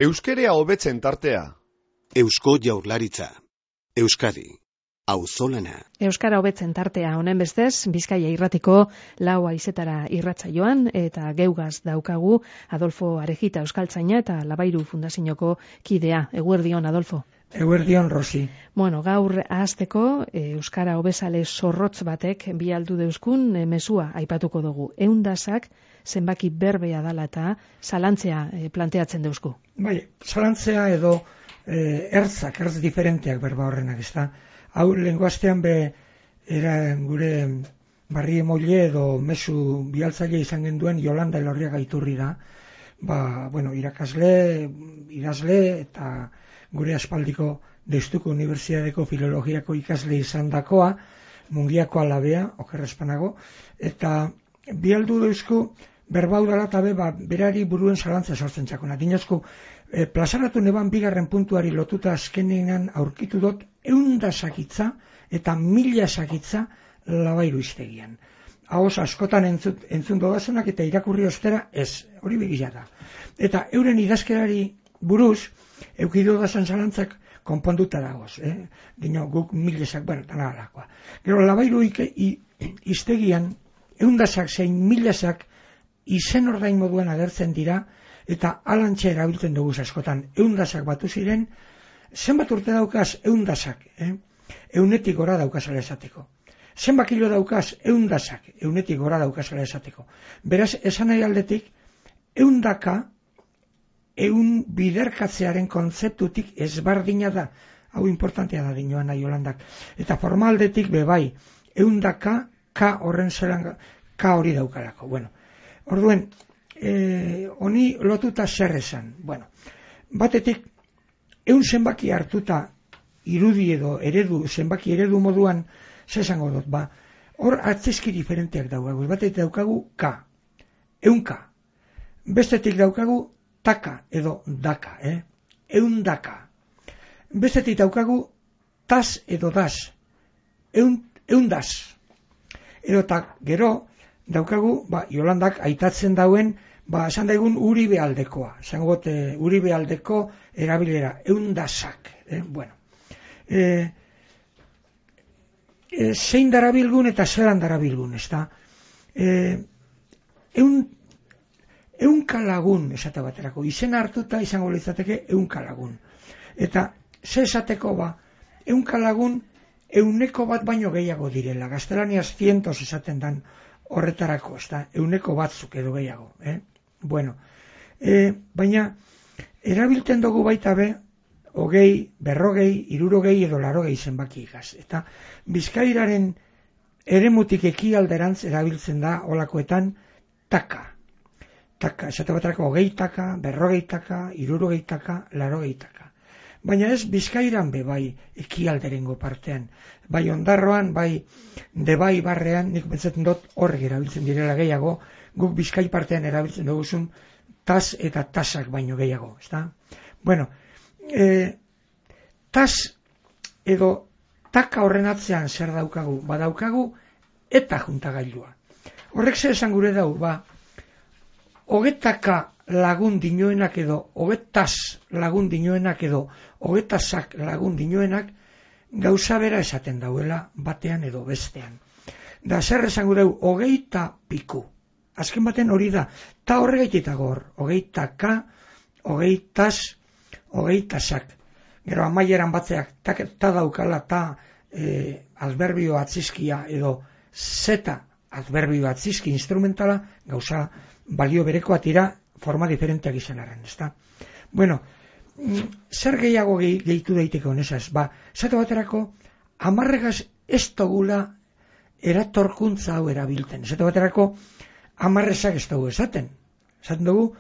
Euskerea hobetzen tartea. Eusko Jaurlaritza. Euskadi. Auzolana. Euskara hobetzen tartea honen bestez, Bizkaia irratiko 4 haizetara irratsaioan eta geugaz daukagu Adolfo Arejita euskaltzaina eta Labairu Fundazioko kidea. Eguerdion, Adolfo. Eguerdion, Rosi. Bueno, gaur ahazteko euskara hobezale zorrotz batek bi aldu deuskun mezua aipatuko dugu. 100 zenbaki berbea dala eta zalantzea planteatzen deusku. Bai, zalantzea edo ertz diferenteak berba horrenak, ezta? Hau lenguastean era gure barri emoile edo mezu bialtzaile izan genduen Yolanda Elorriaga Iturri da. Irakasle, idazle eta gure aspaldiko Deustuko Unibertsitateko Filologiako ikasle izan dakoa, Mungiako alabea, oker espanago, eta bialdu deusku berbaudala eta berari buruen zalantza sortzen txakona. Dinozku, plazaratu neban bigarren puntuari lotuta azkenean aurkitu dut 100 sakitza eta 1000 sakitza Labairu iztegian. Ahoz askotan entzun dodazunak eta irakurri ostera ez, hori begia da. Eta euren idazkerari buruz, eukidu dazan zalantzak konponduta dagoz. Dino, guk 1000, eta nahalakoa. Gero, Labairu iztegian, 100 zein 1000 izen ordain moduan agertzen dira, eta alantxe erabiltzen dugu askotan. 100 batu ziren, zenbat urte daukaz 100, eunetik gora daukazala esateko. Zenbat kilo daukaz 100, eunetik gora daukazala esateko. Beraz, esan nahi aldetik, 100 eun biderkatzearen kontzeptutik ezbardina da. Hau importantea da dinoan nahi Holandak. Eta formaldetik bebai, 100 K horren zelan K hori daukalako. Bueno, orduen, honi lotuta zer esan. Bueno, batetik, 100 zenbaki hartuta irudi edo zenbaki eredu moduan, zesango dut, hor atzizki diferenteak daukagu. Batetik daukagu K, 100K. Bestetik daukagu taka edo daka, 100K. Bestetik daukagu tas edo das, 100 edo gero daukagu, Yolandak aitatzen dauen, esan daigun Uribe aldekoa. Esan gote Uribe aldeko erabilera, 100. Bueno. Zein darabilgun eta zelan darabilgun, ez da? 100 lagun, esate baterako. Izen hartuta izango litzateke 100 lagun. Eta, ze esateko 100 lagun, 100 bat baino gehiago direla. Gaztelaniaz 100 esaten dan horretarako, ez da? 100 batzuk edo gehiago. Bueno, baina, erabiltzen dugu baita 20, 40, 60 edo 80 zenbaki igaz. Eta Bizkairaren eremutik ekialderantz erabiltzen da olakoetan taka. Taka, esate baterako 20 taka, 40 taka, 60 taka, 80 taka. Baina ez Bizkairan bai ekialderengo partean. Bai Ondarroan, bai Debai barrean, nik pentsatzen dut horrek erabiltzen direla gehiago, guk Bizkai partean erabiltzen duguzun tas eta tasak baino gehiago, ezta? Bueno, tas edo taka horren atzean zer daukagu? Badaukagu eta juntagailua. Horrek zer esan gure dau, 20 lagun dinoenak edo 20 lagun dinoenak edo 20 lagun dinoenak gauza bera esaten dauela batean edo bestean. Da zer esan gure dau, 20 piku. Azken baten hori da, ta horregaitita gor, 20K, 20 20sak. Gero amaieran batzeak ta daukala ta adverbio atzizkia edo zeta adverbio atzizki instrumentala gauza balio berekoa tira forma diferenteak izan arren, ezta? Bueno, zer gehiago gehitu daiteke honezaz? Zate baterako, 10 ez dugula eratorkuntza hau erabilten. Zate baterako, 10 ez dugu esaten. Esaten dugu,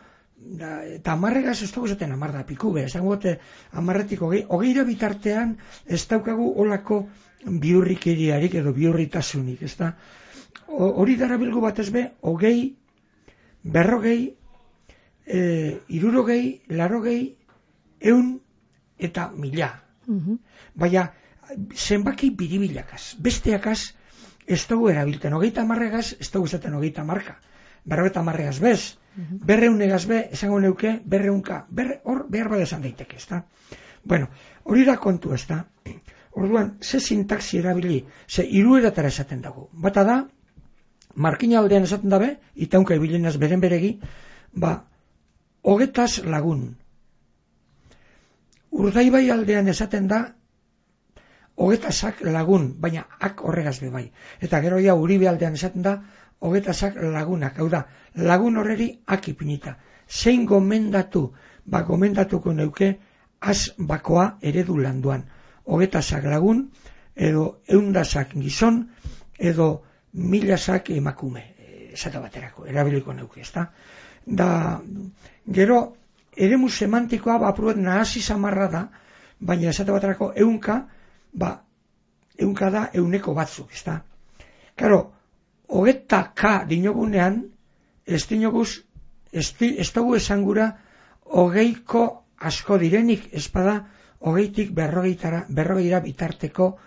eta 10 ez dugu esaten 10 da piku be. Esan gote 10-etik 20 bitartean ez daukagu olako biurrikeriarik edo biurritasunik, ezta? Hori darabilgu batez be, 20, 40, 60, 80, 100 eta 1000. Baina, zenbaki biribilakaz. Besteakaz ez dugu erabilten. 30 marregaz ez dugu esaten 30 marka. 40 marregaz bez. berreunegaz be, esango neuke, berreunka, hor behar bada esan daiteke, ezta? Bueno, hori da kontu, ezta? Orduan, ze sintaxi erabili, ze hirueratara esaten dago. Bata da, markina aldean esaten dabe, itaunka ibilenaz beren beregi, hogetaz lagun. Urdaibai aldean esaten da, hogetazak lagun, baina ak horregaz be bai. Eta gero ja Uribe aldean esaten da, hogetazak lagunak. Hau da, lagun horreri ak ipinita. Zein gomendatu, gomendatuko neuke, az bakoa eredu landuan. Hogetazak lagun, edo eundazak gizon, edo milazak emakume, esate baterako, erabiliko neuke, ezta? Da, gero, eremu semantikoa, apruet nahasi samarra da, baina esate baterako eunka da euneko batzuk, ezta? Karo, hogetaka dinogunean, ez dugu esangura hogeiko asko direnik, espada hogeitik berrogeira bitarteko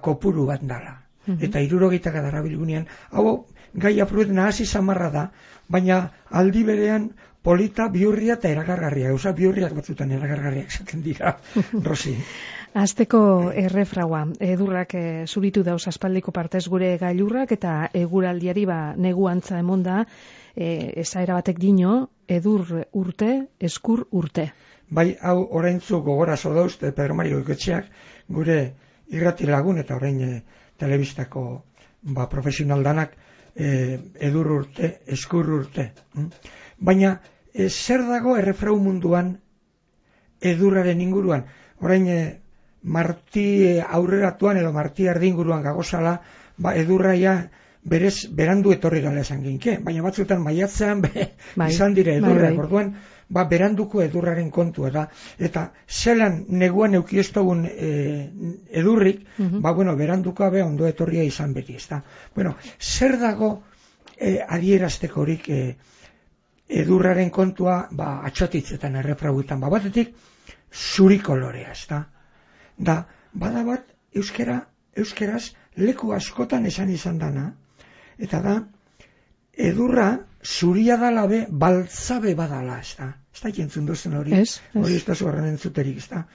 kopuru bat dala. Eta 60 darabilgunean, hau gai apruet nahasi samarra da, baina aldi berean polita, bihurria eta erakargarria. Gauza bihurriak batzutan erakargarriak esaten dira, Rosi. Azteko errefraua, edurrak zuritu dauz aspaldiko partez gure gailurrak eta eguraldiari negu antza emonda, esaera batek dino, edur urte, eskur urte. Bai, hau oraintzu gogorazo dauzte Pedro Mario Goiketxeak, gure irrati lagun eta orain telebistako profesional danak, edur urte, eskur urte. Baina, zer dago errefrau munduan edurraren inguruan? Orain marti aurreratuan edo marti erdinguruan gagozala, edurraia berez berandu etorri gala esan ginke, baina batzutan maiatzean izan dire edurrak, orduan beranduko edurraren kontua da, eta zelan neguan eukiestogun edurrik, beranduko ondo etorria izan beti, ezta? Bueno, zer dago adieraztekorik edurraren kontua atxotitzetan errefrauetan, batetik zuri kolorea, ezta? Da, bada bat euskeraz leku askotan esan izan dana, eta da, edurra zuria dala be, baltzabe badala, ezta? Ez da jentzun duzen hori, hori ez da zuarren entzuterik, ezta?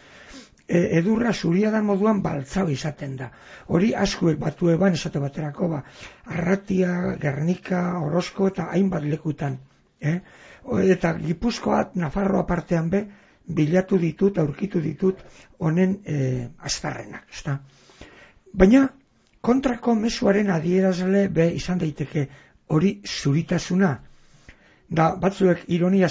Edurra zuria da moduan baltzabe izaten da. Hori asko batu eban esate baterako, Arratia, Gernika, Orozko eta hainbat lekutan. Eta Gipuzkoa, Nafarroa partean be, bilatu ditut, aurkitu ditut, honen aztarrenak, ezta? Baina, kontrako mezuaren adierazle be izan daiteke hori zuritasuna. Da, batzuek ironia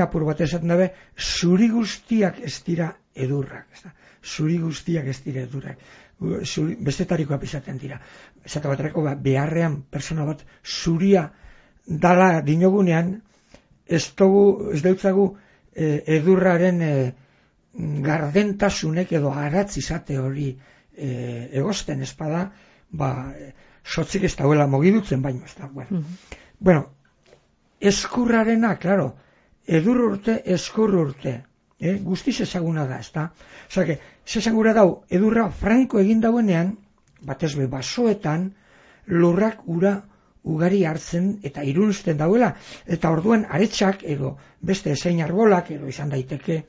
apur bat esaten dabe, zuri guztiak ez dira edurrak, ezta? Zuri guztiak ez dira edurrak. Bestetarikoak izaten dira. Esate baterako beharrean persona bat zuria dala dinogunean, ez deutzagu edurraren gardentasunek edo aratz izate hori egosten espada, sotzik ez dauela mogidutzen baino, ez da. Bueno, eskurrarena, claro, edur urte, eskur urte, guztiz ezaguna da, ez da. Osake, zesangura dau, edurra franko egin dauenean, batez be basoetan, lurrak ura ugari hartzen eta irunzten dauela, eta orduan aretsak edo beste ezein arbolak edo izan daiteke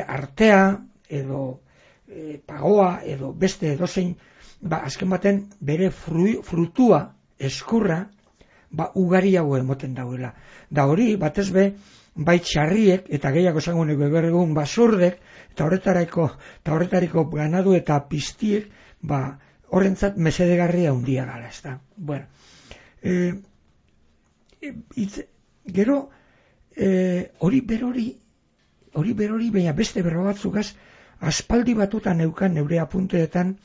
artea edo pagoa edo beste edozein, azken baten bere frutua eskurra ugariago emoten dauela. Da hori, batez be, bai txarriek eta gehiago esango nego egun basurdek eta horretariko ganadu eta piztiek horrentzat mesedegarria handia gala, ez da. Bueno, gero hori berori baina beste berro batzukaz aspaldi batutan neukan neure apunteetan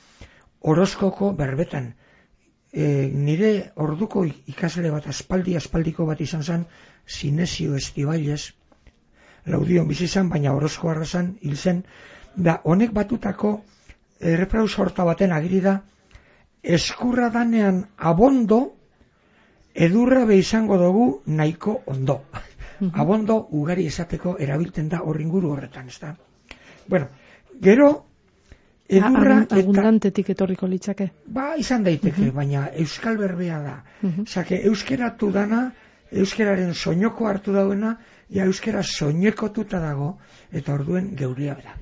Orozkoko berbetan. Nire orduko ikasle bat aspaldiko bat izan zen Sinesio Estibailes, Laudion bizi zen, baina Orozko arrazan hil zen, da honek batutako errefrau sorta baten agiri da, eskurra danean abondo, edurra be izango dugu nahiko ondo. Abondo ugari esateko erabiltzen da horringuru horretan, ez da? Bueno, gero edurra abundantetik etorriko litzake. Izan daiteke, baina euskal berbea da. Zake, euskeratu dana euskararen soinoko hartu dauena, euskara soinekotuta dago, eta orduen geurea da.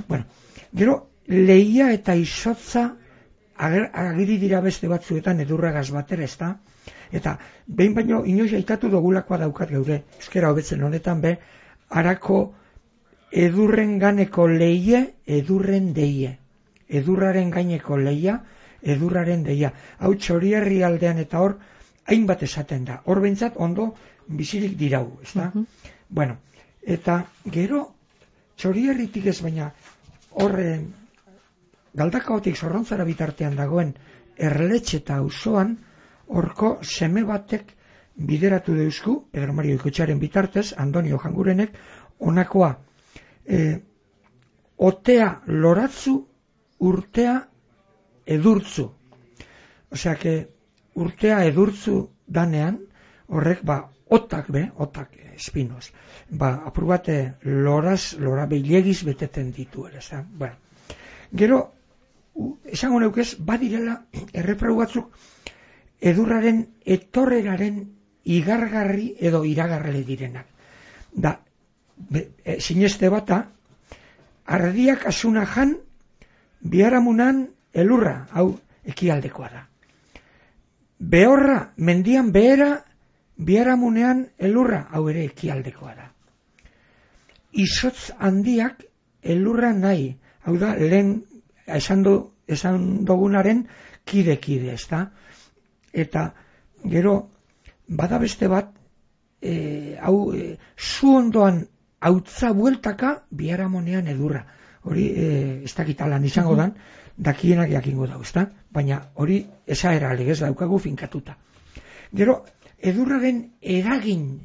Bueno, gero, lehia eta izotza agiri dira beste batzuetan edurragaz batera, ezta? Eta behin baino inoiz aitatu dugulakoa daukat geure euskara hobetzen honetan be, harako edurren ganeko leie, edurren deie. Edurraren gaineko leia, edurraren deia. Hau Txorierri aldean eta hor, hainbat esaten da. Hor behintzat ondo bizirik dirau, ezta? Bueno, eta gero Txorierritik ez baina horren Galdakaotik Zorrontzara bitartean dagoen Erletxeta auzoan horko seme batek bideratu deuzku, Pedro Mario Ikotxaren bitartez, Andonio Jangurenek, honakoa, otea loratzu, urtea edurtzu. Osea, urtea edurtzu danean, horrek, otak espinoz, apur bate lora behilegiz beteten ditu ere, bueno. Gero, esango neukez, badirela erreprau batzuk edurraren etorreraren igargarri edo iragarrele direnak. Da, sineste bata, ardiak asuna jan, biharamunan elurra, hau ekialdekoa da. Behorra, mendian behera, biharamunean elurra, hau ere ekialdekoa da. Izotz handiak elurra nahi, hau da, lehen esan dugunaren kide-kide, ezta? Eta, gero, bada beste bat, zu ondoan hautza bueltaka, biharamonean edurra. Hori, ez dakitalan izango dan, dakienak jakingo dago, ezta? Baina hori esaera legez daukagu finkatuta. Gero, edurraren eragin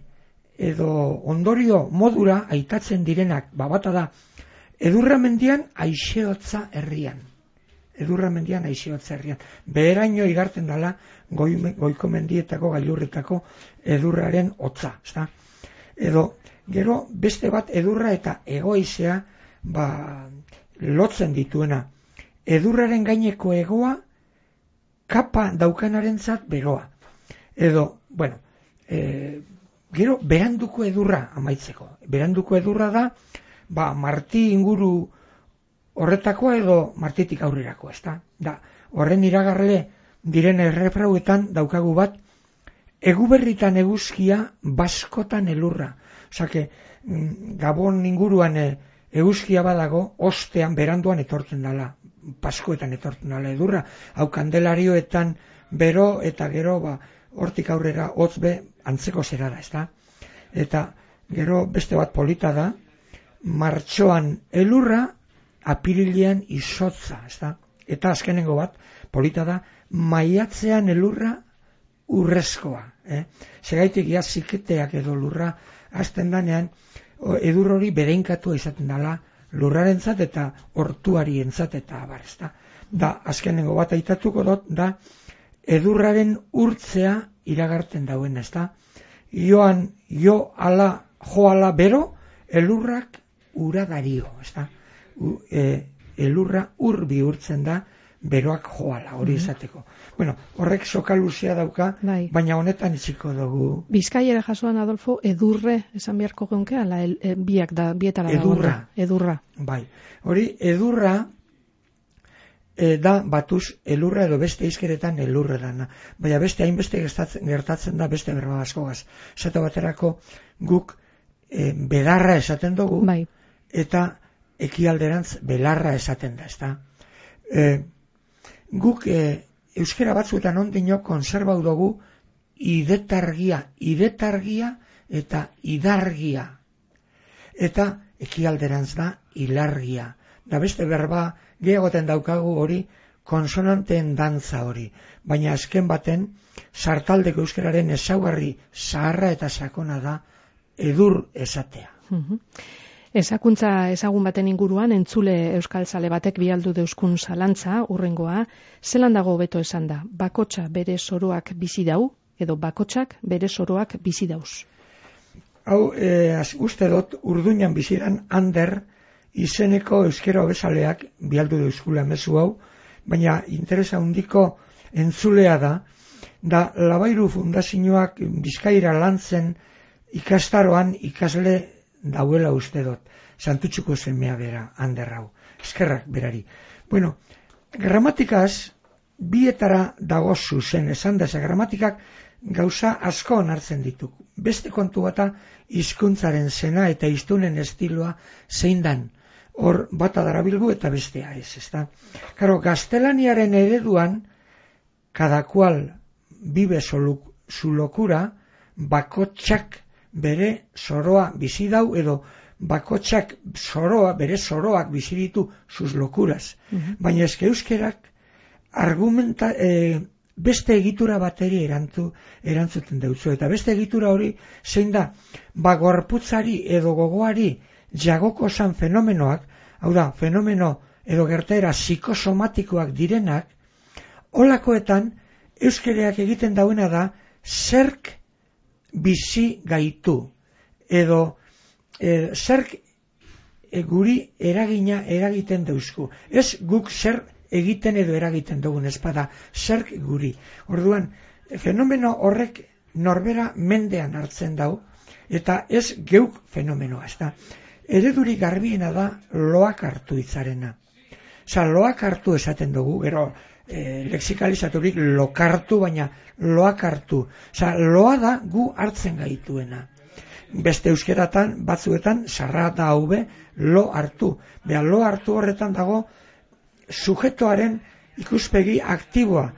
edo ondorio modura aitatzen direnak, bata da, edurra mendian aixeotza herrian. Beheraino igartzen dala goiko mendietako gailurretako edurraren hotza, ezta? Edo, gero beste bat edurra eta egoizea lotzen dituena. Edurraren gaineko egoa kapa daukanarentzat beroa. Edo, bueno, gero beranduko edurra amaitzeko. Beranduko edurra da, marti inguru horretakoa edo martitik aurrerako, ezta? Da, horren iragarle diren erreprauetan daukagu bat, eguberritan eguzkia, baskotan elurra. Osake, Gabon inguruan eguzkia badago, ostean beranduan etortzen dala, paskoetan etortzen dala edurra. Hau Kandelarioetan bero eta gero hortik aurrera hotzbe antzeko zera da, ezta? Eta gero beste bat polita da, martxoan elurra, apirilean izotza, ezta? Eta azkenengo bat, polita da, maiatzean elurra urrezkoa. Segaitik ziketeak edo lurra hasten danean, edur hori berenkatu izaten dela lurrarentzat eta hortuarientzat eta abar, ezta? Da, azkenengo bat aitatuko dut, da, edurraren urtzea iragarten dauen, ezta? Jo ala bero, elurrak ura dario, ezta? Elurra ur bihurtzen da beroak joala, hori izateko. Bueno, horrek soka luzea dauka, baina honetan itziko dugu. Bizkaiera jasuan, Adolfo, edurre esan beharko geunke, ala bietara da. Edurra. Bai, hori edurra da batuz elurra edo beste izkeretan elurre dana. Baina beste hainbeste gertatzen da beste berba askogaz. Zato baterako guk bedarra esaten dugu, eta ekialderantz belarra esaten da, ezta? Guk euskera batzuetan ondino konserbau dugu idetargia eta idargia. Eta ekialderantz da ilargia. Da beste berba gehiagoten daukagu hori konsonanteen dantza hori. Baina azken baten sartaldeko euskararen ezaugarri zaharra eta sakona da edur esatea. Ezakuntza ezagun baten inguruan entzule euskaltzale batek bialdu deuskun zalantza, urrengoa, zelan dago hobeto esan da, bakotxa bere soroak bizi dau, edo bakotxak bere soroak bizi dauz? Hau, uste dut, Urduñan bizidan Ander izeneko euskera hobezaleak bialdu deuskula mezu hau, baina interesa handiko entzulea da, da Labairu Fundazioak Bizkaira lantzen ikastaroan ikasle dauela uste dut, Santutxuko semea bera, Anderrau, eskerrak berari. Bueno, gramatikaz, bietara dago zuzen, esan da, gramatikak gauza asko onartzen ditu. Beste kontu bata hizkuntzaren zena eta hiztunen estiloa zein dan. Hor bata darabilgu eta bestea ez, ezta? Karo, gaztelaniaren ereduan, cada cual vive su locura, bakotxak bere zoroa bizi dau, edo bakotxak bere zoroak bizi ditu sus locuras. Baina eske euskerak beste egitura bateri erantzuten deutzu. Eta beste egitura hori zein da, gorputzari edo gogoari jagoko zan fenomenoak, hau da, fenomeno edo gertaera psikosomatikoak direnak, holakoetan euskereak egiten dauena da zerk bizi gaitu, edo zerk guri eragiten dauzku. Ez guk zer egiten edo eragiten dugun, espada zerk guri. Orduan, fenomeno horrek norbera mendean hartzen dau, eta ez geuk fenomenoa, ez da. Eredurik garbiena da loak hartu hitzarena. Osa, loak hartu esaten dugu, gero lexikalizaturik lokartu, baina loak hartu. Osa, loa da gu hartzen gaituena. Beste euskeratan, batzuetan, sarra da haube, lo hartu. Beha, lo hartu horretan dago, sujetoaren ikuspegi aktiboa.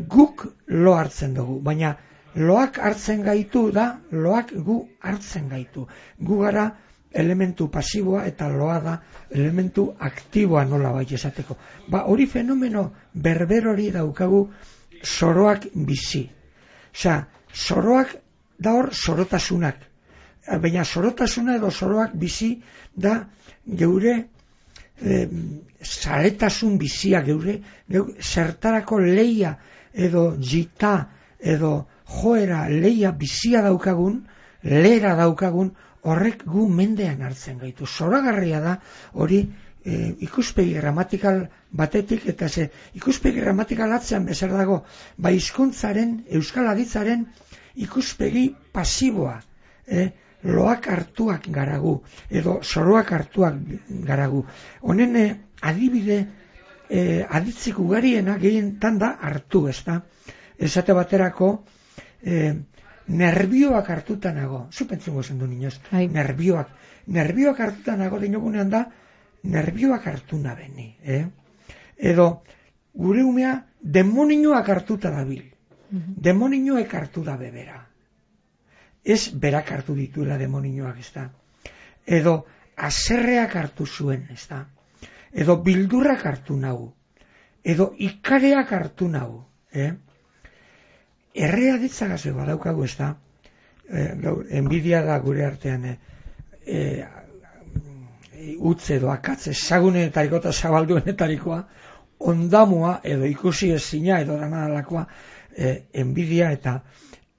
Guk lo hartzen dugu, baina loak hartzen gaitu da, loak gu hartzen gaitu. Gu gara elementu pasiboa eta loa da elementu aktiboa nola bai esateko. Hori fenomeno berber hori daukagu zoroak bizi. Osea, zoroak da hor zorotasunak. Baina zorotasuna edo zoroak bizi da geure zaretasun bizia, geure zertarako leia edo jita edo joera leia bizia daukagun, lera daukagun, horrek gu mendean hartzen gaitu. Zoragarria da hori ikuspegi gramatikal batetik, eta ikuspegi gramatikal atzean bezer dago, hizkuntzaren, euskal aditzaren ikuspegi pasiboa, loak hartuak garagu, edo zoroak hartuak garagu. Honen adibide aditzik ugariena gehienetan da hartu, ez da? Esate baterako, nerbioak hartuta nago. Zupentzungo zen du niñoz. Nerbioak hartuta nago dinogunean da, nerbioak hartu nabeni. Edo, gure umea demoninoak hartuta dabil. Demoninoek hartu da bebera. Ez berak hartu dituela demoninoak, ez da. Edo, aserreak hartu zuen, ez da. Edo, bildurrak hartu nahu. Edo, ikareak hartu nahu. Errea ditzagaz badaukagu, ez da. Enbidia da gure artean utz edo akatz ezagunetariko eta zabalduenetarikoa, ondamua edo ikusi ezina edo danalakoa enbidia, eta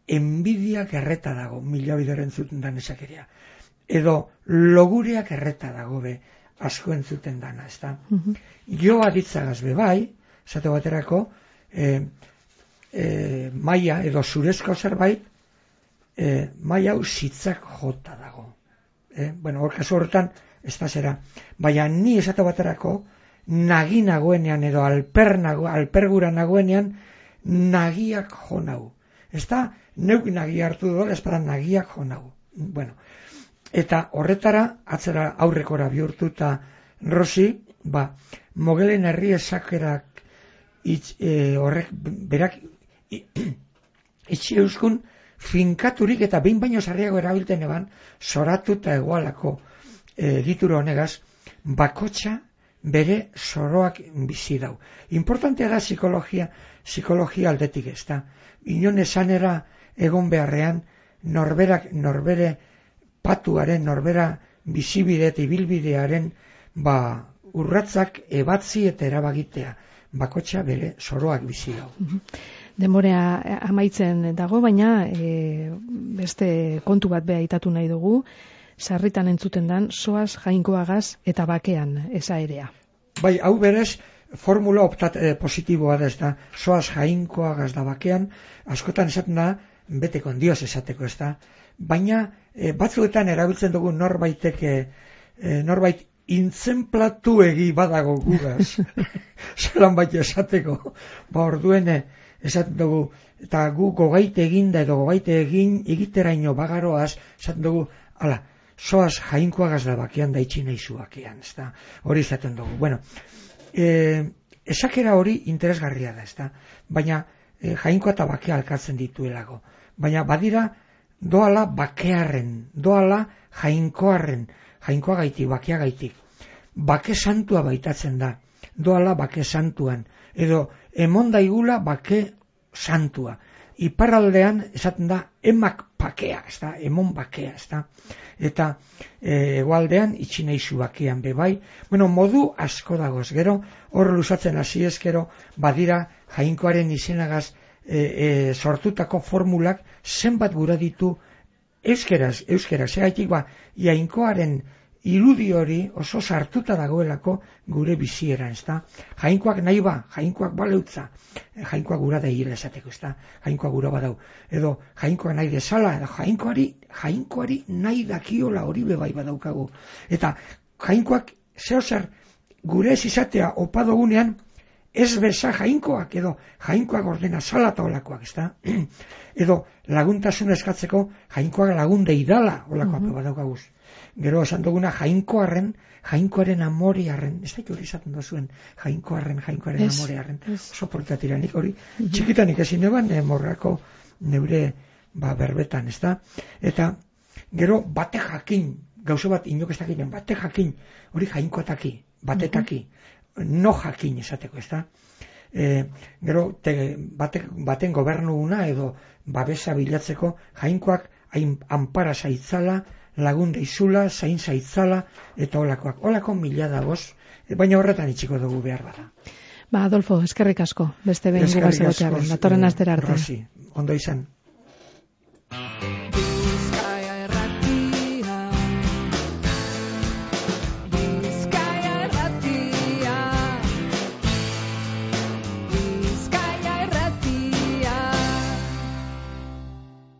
enbidiak erreta dago, mila bideren zuten dan esakeria. Edo logureak erreta dago be asko entzuten dana, ez da. Joa ditzagaz bai, esate baterako, maia edo zurezko zerbait, maia hau zitzak jota dago. Hor kasu horretan, ez da zera. Baina ni esate baterako, nagi nagoenean edo alpergura nagoenean, nagiak jo nau. Ez da, neuk nagia hartu dola, ez da nagiak jo nau. Eta horretara, atzera aurrekora bihurtu eta Rosi, Mogelen herri esakerak horrek berak itxi euskun finkaturik eta behin baino sarriago erabilten eban, zoratu eta egualako egitura honegaz, bakotxa bere zoroak bizi dau. Importantea da psikologia aldetik, ez da. Inon esanera egon beharrean, norbere patuaren, norbera bizibide eta ibilbidearen urratzak ebatzi eta erabagitea. Bakotxa bere zoroak bizi dau. Denborea amaitzen dago, baina beste kontu bat beha aitatu nahi dugu, sarritan entzuten dan, soaz jainkoagaz eta bakean esaerea. Hau berez, formula positiboa da, ez da, soaz jainkoa gazda bakean, askotan esaten da, beteko ondioz esateko, ez da, baina batzuetan erabiltzen dugu norbait intzenplatu egi badago gugaz, zelan baita esateko, orduen esaten dugu, eta gu gogaite eginda edo gogaite egiteraino bagaroaz, esaten dugu, ala, soaz jainkoa gazda bakean da itxi nahizu bakean, ez da, hori izaten dugu. Bueno, esakera hori interesgarria da, ez da, baina jainkoa eta bakea alkatzen dituelago. Baina badira doala bakearren, doala jainkoarren, jainkoa gaitik, bakea gaitik. Bake santua baitatzen da, doala bake santuan, edo emon daigula bake santua. Iparraldean esaten da emak bakea, ez da, emon bakea, ez da. Eta hegoaldean itxi nahizu bakean bebai. Bueno, modu asko dagoz, gero hor luzatzen hasi ezkero badira jainkoaren izenagaz sortutako formulak zenbat gura ditu euskeraz, segaitik jainkoaren irudi hori oso sartuta dagoelako gure bizieran, ez da? Jainkoak nahi jainkoak baleutza, jainkoak gura da hile esateko, ez da? Jainkoak gura badau, edo jainkoak nahi desala, edo jainkoari nahi dakiola hori bebai badaukagu. Eta jainkoak zehozer gure ez izatea opadogunean, ez beza jainkoak, edo jainkoak ordena sala eta olakoak, ez da? Edo laguntasun eskatzeko jainkoak lagun deidala olakoak badaukaguz. Gero esan duguna jainkoaren amorearen, ez da hori izaten duzuen, jainkoaren amorearen, oso portatiranik hori, txikitanik ezin eban, morrako neure berbetan, ez da? Eta gero bate jakin, gauzo bat inok ez dakiten, bate jakin, hori jainkoataki, batetaki, no jakin esateko, ez da? Gero baten gobernuguna edo babesa bilatzeko jainkoak anpara zaitzala, lagun deizula, zain zaitzala, eta olakoak. Olako mila dagoz, baina horretan itxiko dugu behar bada. Adolfo, eskerrik asko, beste behin gugaz egotearen, datorren astera arte. Rosi, ondo izan.